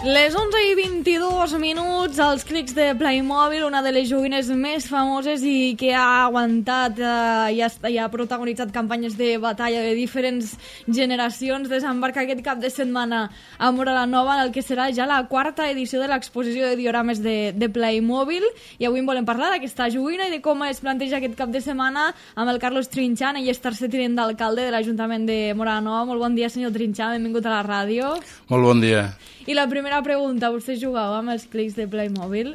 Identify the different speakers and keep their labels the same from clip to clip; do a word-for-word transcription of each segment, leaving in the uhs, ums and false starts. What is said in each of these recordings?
Speaker 1: Les onze i vint-i-dos minuts, els clics de Playmobil, una de les joguines més famoses i que ha aguantat eh, i, ha, i ha protagonitzat campanyes de batalla de diferents generacions, desembarca aquest cap de setmana a Móra la Nova, en el que serà ja la quarta edició de l'exposició de diorames de, de Playmobil. I avui en volem parlar d'aquesta joguina i de com es planteja aquest cap de setmana amb el Carlos Trinxant. Ell és tercer tinent d'alcalde de l'Ajuntament de Móra la Nova. Molt bon dia, senyor Trinxant, benvingut a la ràdio.
Speaker 2: Molt bon dia.
Speaker 1: I la primera pregunta, vostè jugava amb els clics de Playmobil?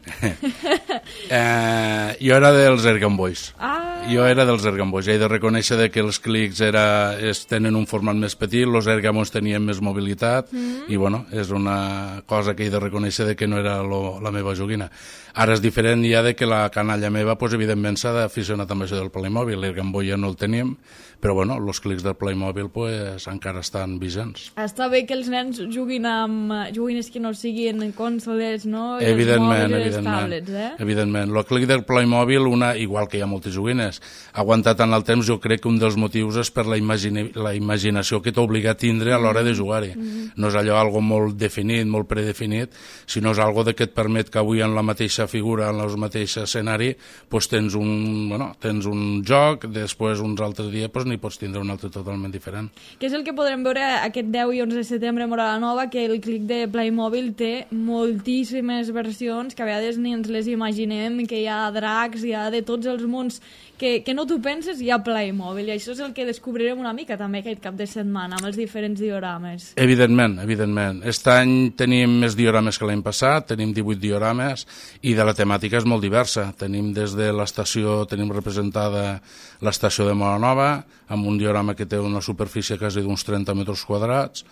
Speaker 2: eh, jo era dels Ergan Boys.
Speaker 1: Ah.
Speaker 2: Jo era dels Ergan Boys. He de reconèixer que els clics era, es tenen un format més petit, els Ergamos tenien més mobilitat, mm. i bueno, és una cosa que he de reconèixer de que no era lo, la meva joguina. Ara és diferent ja de que la canalla meva, pues, evidentment, s'ha d'aficionar també a això del Playmobil. L'Ergan Boy ja no el teníem, però bueno, els clics del Playmobil pues, encara estan vigents.
Speaker 1: Està bé que els nens juguin amb joguines que no siguin consoles, no? I
Speaker 2: evidentment,
Speaker 1: els
Speaker 2: evidentment.
Speaker 1: tablets, eh?
Speaker 2: Evidentment. El clic del Playmobil, una, igual que hi ha moltes joguines, ha aguantat en el temps. Jo crec que un dels motius és per la, imagine, la imaginació que t'obliga a tindre a l'hora de jugar-hi. Mm-hmm. No és allò algo molt definit, molt predefinit, sinó és algo de que et permet que avui en la mateixa figura, en el mateix escenari, pues tens, un, bueno, tens un joc, després uns altres dies pues, n'hi pots tindre un altre totalment diferent.
Speaker 1: Què és el que podrem veure aquest deu i onze de setembre a Móra la Nova, que el clic de Playmobil té moltíssimes versions, que a vegades ni ens les imaginem, que hi ha dracs, hi ha de tots els mons que, que no t'ho penses, hi ha Playmobil, i això és el que descobrirem una mica també aquest cap de setmana amb els diferents diorames.
Speaker 2: Evidentment, evidentment. Aquest any tenim més diorames que l'any passat, tenim divuit diorames, i de la temàtica és molt diversa. Tenim des de l'estació, tenim representada l'estació de Móra la Nova, amb un diorama que té una superfície quasi d'uns trenta metres quadrats.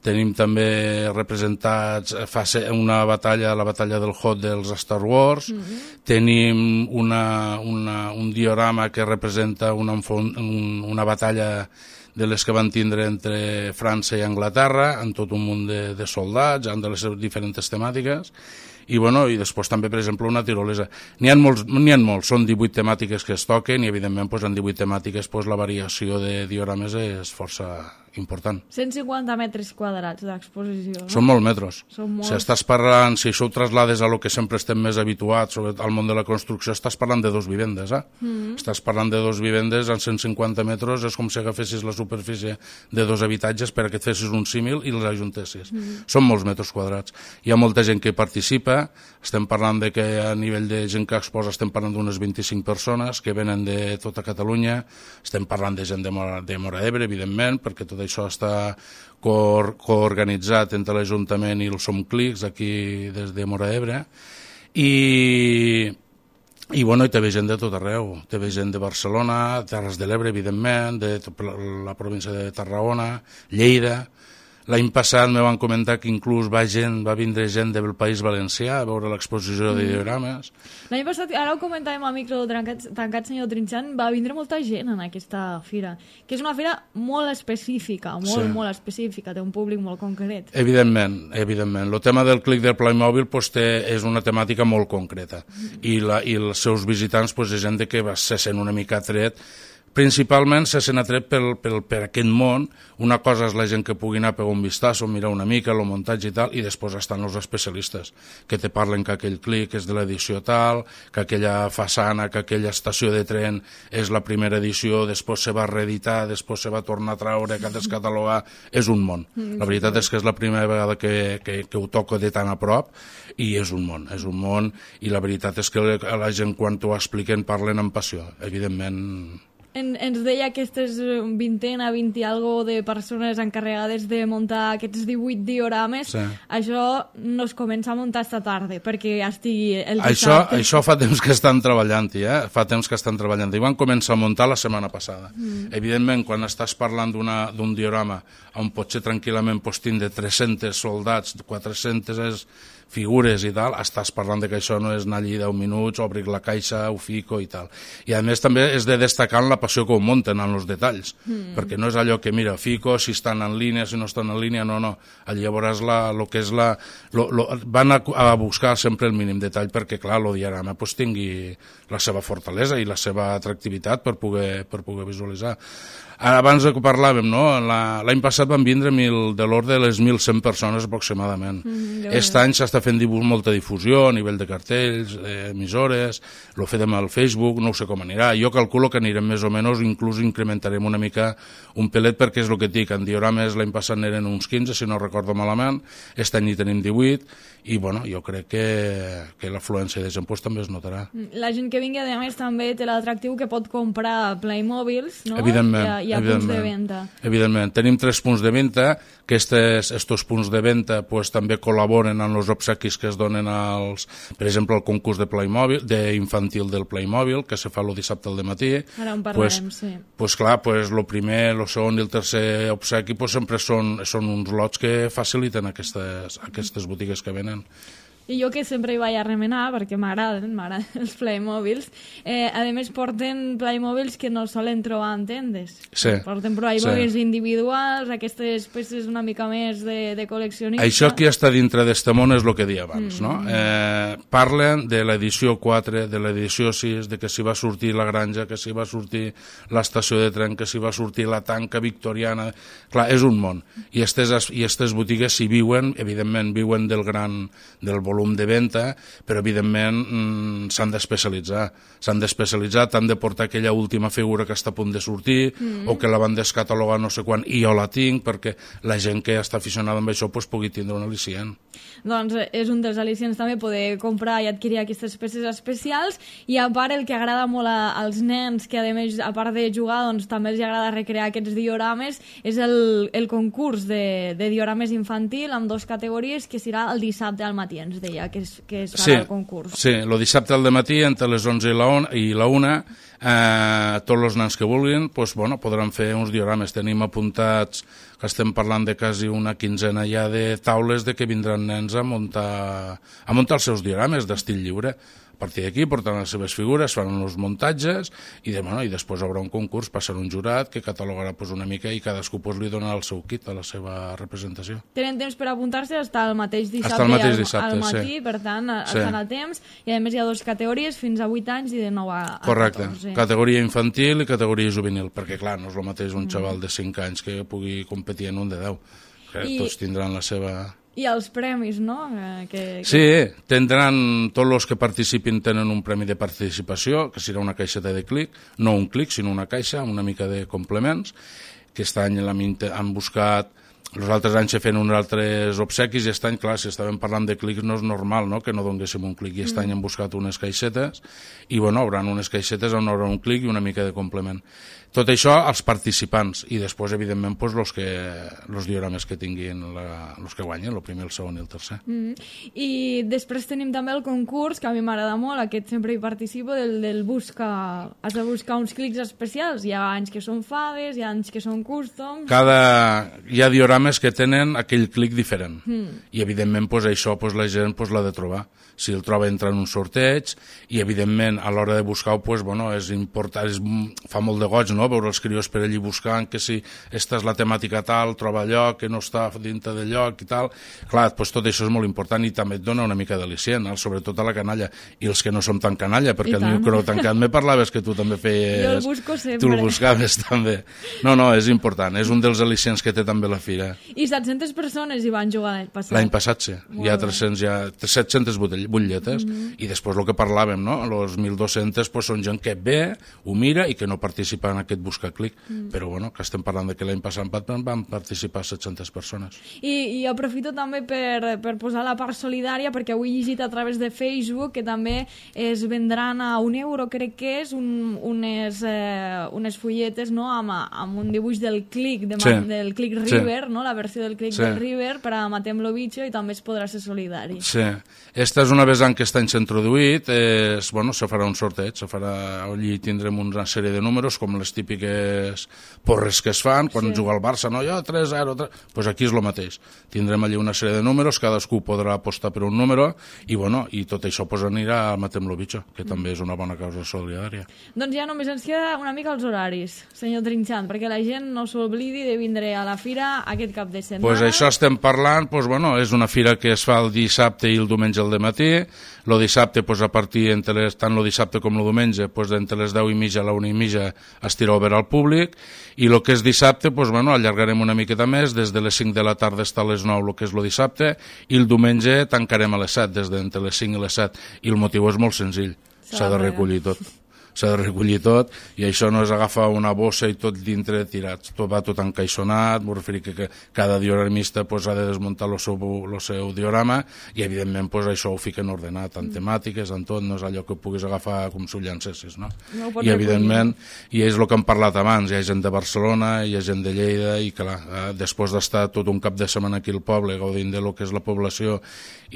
Speaker 2: Tenim també representats fa una batalla, la batalla del Hot dels Star Wars. Mm-hmm. Tenim una, una, un diorama que representa una, una batalla de les que van tindre entre França i Anglaterra, amb tot un munt de, de soldats, amb de les diferents temàtiques. I, bueno, i després també, per exemple, una tirolesa. N'hi ha molts, n'hi ha molts, són divuit temàtiques que es toquen i, evidentment, doncs, en divuit temàtiques doncs, la variació de diorames és força important.
Speaker 1: cent cinquanta metres quadrats d'exposició, no?
Speaker 2: Són molts metres.
Speaker 1: Són molts.
Speaker 2: Si estàs parlant, si això ho traslades a lo que sempre estem més habituats, sobretot al món de la construcció, estàs parlant de dos vivendes, eh? Mm. Estàs parlant de dos vivendes en cent cinquanta metres, és com si agafessis la superfície de dos habitatges per que et fessis un símil i els ajuntessis. Mm. Són molts metres quadrats. Hi ha molta gent que participa, estem parlant de que a nivell de gent que exposa estem parlant d'unes vint-i-cinc persones que venen de tota Catalunya, estem parlant de gent de Móra, de Móra d'Ebre, evidentment, perquè tot això està co- coorganitzat entre l'Ajuntament i el Som Clics aquí des de Móra d'Ebre, i, i, bueno, i té gent de tot arreu, té gent de Barcelona, Terres de l'Ebre, evidentment, de la província de Tarragona, Lleida. L'any passat me van comentar que inclús va, gent, va vindre gent del País Valencià a veure l'exposició de diorames.
Speaker 1: L'any passat, ara ho comentàvem a micro tancat, tancat senyor Trinxant, va vindre molta gent en aquesta fira, que és una fira molt específica, molt, sí. molt específica, té un públic molt concret.
Speaker 2: Evidentment, evidentment. El tema del clic del Playmobil pues, té, és una temàtica molt concreta, mm. I, la, i els seus visitants pues, és gent que va se sent una mica atret. Principalment se sent atret per, per, per aquest món. Una cosa és la gent que pugui anar a pegar un vistazo, mirar una mica el muntatge i tal, i després estan els especialistes que te parlen que aquell clic és de l'edició tal, que aquella façana, que aquella estació de tren és la primera edició, després se va reeditar, després se va tornar a traure, que descatalogar. És un món. La veritat és que és la primera vegada que, que, que ho toco de tan a prop, i és un món, és un món, i la veritat és que la gent quan t'ho expliquen parlen amb passió, evidentment.
Speaker 1: En, ens deia aquestes vintena, vint i algo de persones encarregades de muntar aquests divuit diorames. Sí. Això no es comença a muntar esta tarda, perquè ja estigui el dissabte.
Speaker 2: Això, això fa temps que estan treballant-hi, eh? Fa temps que estan treballant-hi. Van començar a muntar la setmana passada. Mm. Evidentment, quan estàs parlant d'un diorama on potser tranquil·lament pots tindre tres-cents soldats, quatre-centes figures i tal, estàs parlant de que això no és anar allí deu minuts, obrir la caixa, ho fico i tal. I a més també és de destacar la passió que ho munten en els detalls, mm. perquè no és allò que, mira, fico, si estan en línia, si no estan en línia, no, no. Allí llavors la, lo que és la... Lo, lo, van a, a buscar sempre el mínim detall perquè, clar, el diorama pues, tingui la seva fortalesa i la seva atractivitat per poder, per poder visualitzar. abans que parlàvem, no? L'any passat van vindre mil, de l'ordre de les mil cent persones aproximadament. Mm, Aquest any s'està fent molta difusió a nivell de cartells, emissores, lo fem al Facebook, no sé com anirà. Jo calculo que anirem més o menys, inclús incrementarem una mica un pelet, perquè és el que et dic, en diorames l'any passat n'eren uns quinze, si no recordo malament, aquest any hi tenim divuit, i bueno, jo crec que, que l'afluència de gent pues, també es notarà.
Speaker 1: La gent que vingui, a més, també té l'atractiu que pot comprar Playmobils, no?
Speaker 2: Evidentment.
Speaker 1: Hi ha, hi ha punts de venda.
Speaker 2: Evidentment. Tenim tres punts de venda, que aquests punts de venda pues, també col·laboren en els obsequis que es donen als, per exemple, al concurs de Playmobil, d'infantil del Playmobil, que se fa el dissabte al dematí.
Speaker 1: Ara en parlarem,
Speaker 2: pues,
Speaker 1: sí.
Speaker 2: Pues clar, pues, el primer, el segon i el tercer obsequi pues, sempre són, són uns lots que faciliten aquestes, aquestes botigues que venen.
Speaker 1: I jo que sempre hi vaig a remenar, perquè m'agraden, m'agraden els Playmobils, eh, a més porten Playmobils que no solen trobar en tendes.
Speaker 2: Sí.
Speaker 1: Porten Playmobils sí. individuals, aquestes peces una mica més de, de col·leccionista.
Speaker 2: Això que està dintre d'este món és el que deia abans, mm. no? Eh, parlen de l'edició quatre, de l'edició sis, de que s'hi va sortir la granja, que s'hi va sortir l'estació de tren, que s'hi va sortir la tanca victoriana... Clar, és un món. I aquestes, i aquestes botigues s'hi viuen, evidentment viuen del gran... del volum volum de venda, però evidentment mm, s'han d'especialitzar. S'han d'especialitzar, t'han de portar aquella última figura que està a punt de sortir, mm. o que la van descatalogar no sé quan, i jo la tinc, perquè la gent que està aficionada amb això pues, pugui tindre un al·licient.
Speaker 1: Doncs és un dels al·licients també poder comprar i adquirir aquestes peces especials, i a part el que agrada molt a, als nens, que a més, a part de jugar, doncs també els agrada recrear aquests diorames, és el, el concurs de, de diorames infantil amb dues categories, que serà el dissabte al matí, ens deia que es, que es farà
Speaker 2: sí,
Speaker 1: el concurs.
Speaker 2: Sí, el dissabte al matí entre les onze i la, on, i la una, eh, tots els nens que vulguin pues, bueno, podran fer uns diorames. Tenim apuntats que estem parlant de quasi una quinzena ja de taules de que vindran nens a muntar, a muntar els seus diorames d'estil lliure. A partir d'aquí porten les seves figures, fan els muntatges i, de, bueno, i després haurà un concurs, passarà un jurat que catalogarà pues, una mica i cadascú pues, li donarà el seu kit a la seva representació.
Speaker 1: Tenen temps per apuntar-se fins al mateix dissabte,
Speaker 2: el mateix
Speaker 1: al,
Speaker 2: dissabte
Speaker 1: al matí,
Speaker 2: sí.
Speaker 1: Per tant,
Speaker 2: sí.
Speaker 1: estan a temps, i a més hi ha dues categories, fins a vuit anys i de nou a, a
Speaker 2: Correcte.
Speaker 1: catorze.
Speaker 2: Categoria infantil i categoria juvenil, perquè clar, no és el mateix un mm. xaval de cinc anys que pugui competir en un de deu. I... Tots tindran la seva...
Speaker 1: I els premis, no? Que, que...
Speaker 2: Sí, tindran, tots els que participin tenen un premi de participació, que serà una caixeta de clic, no un clic, sinó una caixa, una mica de complements, que aquest any han buscat, els altres anys se feien uns altres obsequis, i aquest any, clar, si estàvem parlant de clics no és normal, no?, que no donguéssim un clic, i aquest mm. any han buscat unes caixetes, i bueno, hauran unes caixetes on haurà un clic i una mica de complement. Tot això als participants, i després, evidentment, pues, los que, los diorames que tinguin, la, los que guanyen, el primer, el segon i el tercer.
Speaker 1: Mm. I després tenim també el concurs, que a mi m'agrada molt, aquest sempre hi participo, del, del buscar, has de buscar uns clics especials. Hi ha anys que són fades, hi ha anys que són custom...
Speaker 2: Cada... Hi ha diorames que tenen aquell clic diferent, mm. i evidentment pues, això pues, la gent pues, l'ha de trobar. Si el troba entra en un sorteig, i evidentment a l'hora de buscar-ho pues, bueno, és important, és, fa molt de goig, no?, veure els crios per allí buscant que si esta és la temàtica tal, troba lloc, que no està dintre del lloc i tal. Clar, pues, tot això és molt important i també et dona una mica d'al·licient, sobretot a la canalla. I els que no som tan canalla, perquè el micro tancat me parlaves que tu també feies...
Speaker 1: Jo el busco sempre.
Speaker 2: Tu el buscaves també. No, no, és important, és un dels al·licients que té també la fira.
Speaker 1: I set-centes persones hi van jugar l'any passat?
Speaker 2: L'any passat sí, hi ha tres-cents, hi ha set-centes butlletes, mm-hmm. i després el que parlàvem, no? Els mil dos-cents pues, són gent que ve, ho mira i que no participa en aquest buscar clic, mm. però bueno, que estem parlant de que l'any passat van participar set-centes persones.
Speaker 1: I, i aprofito també per, per posar la part solidària, perquè avui he llegit a través de Facebook que també es vendran a un euro, crec que és, un, unes, eh, unes fulletes, no?, amb, amb un dibuix del clic, de, sí. del clic River, sí. no?, la versió del clic sí. del River, per a Matem lo Bicho, i també es podrà ser solidari.
Speaker 2: Sí. Esta és una vessant que està introduït, és, bueno, se farà un sorteig, se farà, allí tindrem una sèrie de números, com les típiques porres que es fan quan sí. juga al Barça, no? Jo tres zero, tres... Pues aquí és el mateix. Tindrem allí una sèrie de números, cadascú podrà apostar per un número, i bueno, i tot això pues, anirà a Matem lo Bicho, que mm. també és una bona causa solidària.
Speaker 1: Doncs ja només ens queda una mica els horaris, senyor Trinxant, perquè la gent no s'oblidi de vindre a la fira aquest aquest cap de setmana.
Speaker 2: Pues això estem parlant, pues, bueno, és una fira que es fa el dissabte i el diumenge al dematí. El dissabte, pues, a partir, entre les, tant el dissabte com el diumenge, pues, entre les deu i mitja a la una i mitja estirà obert al públic, i el que és dissabte, pues, bueno, allargarem una miqueta més, des de les cinc de la tarda fins a les nou, el que és el dissabte, i el diumenge tancarem a les set, des d'entre les cinc i les set, i el motiu és molt senzill, s'ha de recollir tot. S'ha de recollir tot, i això no és agafar una bossa i tot dintre tirat, tot va tot encaixonat, m'ho referir que, que cada dioramista pues, ha de desmuntar el seu, el seu diorama, i evidentment pues, això ho fiquen ordenat, en temàtiques, en tot, no és allò que puguis agafar com si ho llancessis, no?
Speaker 1: No
Speaker 2: I evidentment, i és el que hem parlat abans, hi ha gent de Barcelona, hi ha gent de Lleida, i clar, eh, després d'estar tot un cap de setmana aquí al poble, gaudint de lo que és la població,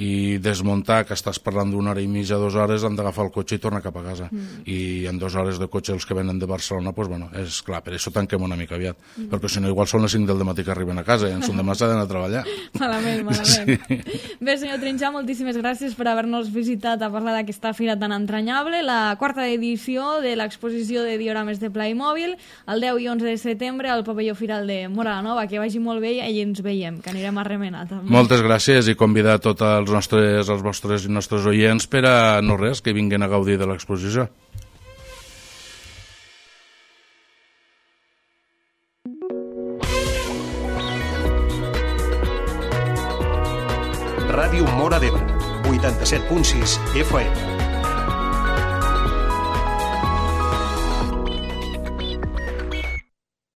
Speaker 2: i desmuntar, que estàs parlant d'una hora i mitja, dues hores, han d'agafar el cotxe i tornar cap a casa. Mm. I en dues hores de cotxe els que venen de Barcelona, pues, bueno, és clar, per això tanquem una mica aviat, mm. perquè si no igual són les cinc del dematí que arriben a casa i en son demà s'ha d'anar a treballar.
Speaker 1: Malament, malament. Sí. Bé, senyor Trinxà, moltíssimes gràcies per haver-nos visitat a parlar d'aquesta fira tan entranyable, la quarta edició de l'exposició de diorames de Playmobil, el deu i onze de setembre al pavelló firal de Móra la Nova. Que vagi molt bé i ens veiem, que anirem a remenar també. Moltes
Speaker 2: gràcies i convidar tots els nostres, els vostres i nostres oients per a no res, que vinguin a gaudir de l'exposició.
Speaker 3: Ràdio Móra d'Ebre, vuitanta-set punt sis F M.